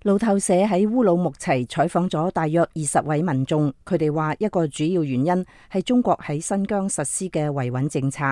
路透社喺烏魯木齊採訪咗大約20位民眾，佢哋話一個主要原因係中國喺新疆實施嘅維穩政策。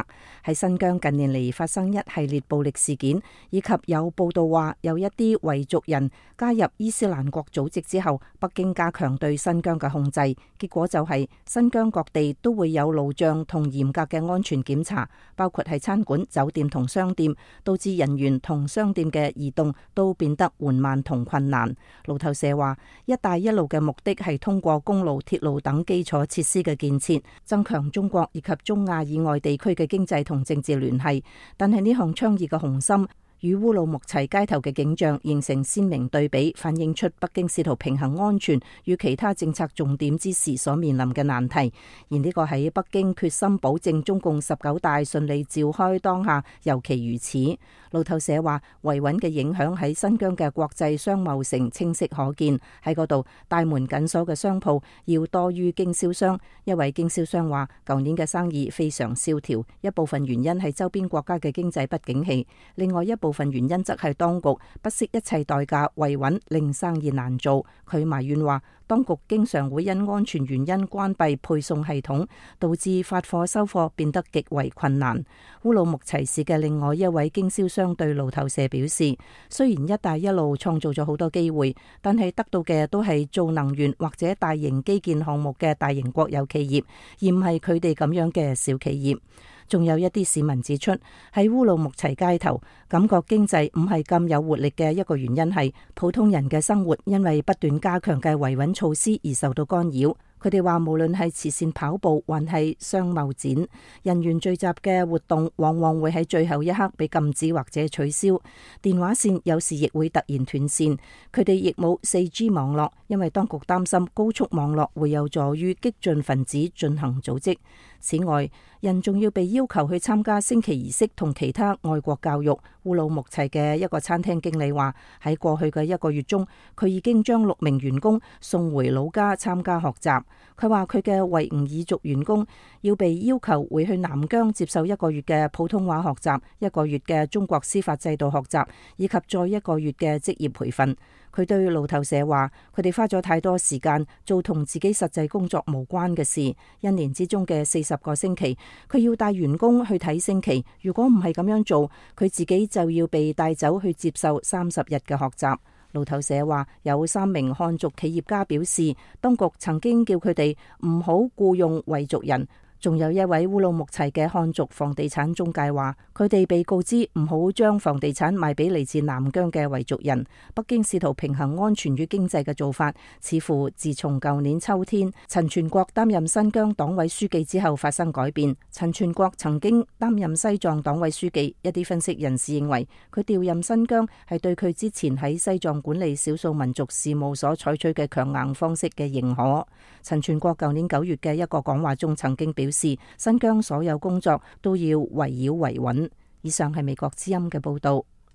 喺新疆近年嚟發生一系列暴力事件，以及有報道話有一啲維族人加入伊斯蘭國組織之後，北京加強對新疆嘅控制，結果就係新疆各地都會有路障同嚴格嘅安全檢查，包括係餐館、酒店同商店，導致人員同商店嘅移動都變得緩慢同困難。路透社話，一帶一路嘅目的係通過公路、鐵路等基礎設施嘅建設，增強中國以及中亞以外地區嘅經濟同政治聯繫。但係呢項倡議嘅雄心與烏魯木齊街頭嘅景象形成鮮明對比，反映出北京試圖平衡安全與其他政策重點之時所面臨嘅難題。而呢個喺北京決心保證中共19大順利召開當下尤其如此。路透社話，維穩嘅影響喺新疆嘅國際商貿城清晰可見，喺嗰度大門緊鎖嘅商鋪要多於經銷商。一位經銷商話，舊年嘅生意非常蕭條，一部分原因係周邊國家嘅經濟不景氣，另外一部分原因則係當局不惜一切代價維穩，令生意難做。佢埋怨話，當局經常會因安全原因關閉配送系統，導致發貨收貨變得極為困難。烏魯木齊市嘅另外一位經銷商對路透社表示，雖然一帶一路創造咗好多機會，但係得到嘅都係做能源或者大型基建項目嘅大型國有企業，而唔係佢哋咁樣嘅小企業。仲有一啲市民指出，喺烏魯木齊街頭感覺經濟唔係咁有活力嘅一個原因係普通人嘅生活因為不斷加強嘅維穩措施而受到干擾。佢哋話，無論係慈善跑步還係商貿展，人員聚集嘅活動往往會喺最後一刻被禁止或者取消。電話線有時亦會突然斷線。佢哋亦冇 4G 網絡，因為當局擔心高速網絡會有助於激進分子進行組織。此外，人仲要被要求去參加升旗儀式同其他愛國教育。烏魯木齊嘅一個餐廳經理話，喺過去嘅1個月中，佢已經將6名員工送回老家參加學習。佢話佢嘅維吾爾族員工要被要求回去南疆接受1個月嘅普通話學習、1個月嘅中國司法制度學習，以及再1個月嘅職業培訓。佢對路透社話，佢哋花咗太多時間做同自己實際工作無關嘅事。1年之中嘅40個星期，佢要帶員工去睇升旗。如果唔係咁樣做，佢自己就要被帶走去接受30日嘅學習。路透社話，有3名漢族企業家表示，當局曾經叫佢哋唔好僱用維族人。仲有一位烏魯木齊嘅漢族房地產中介話，佢哋被告知唔好將房地產賣俾嚟自南疆嘅維族人。北京試圖平衡安全與經濟嘅做法，似乎自從舊年秋天陳全國擔任新疆黨委書記之後發生改變。陳全國曾經擔任西藏黨委書記，一啲分析人士認為佢調任新疆係對佢之前喺西藏管理少數民族事務所採取嘅強硬方式嘅認可。陳全國舊年9月嘅一個講話中曾經表示，新疆所有工作都要圍繞維穩。以上係美國之音嘅報道。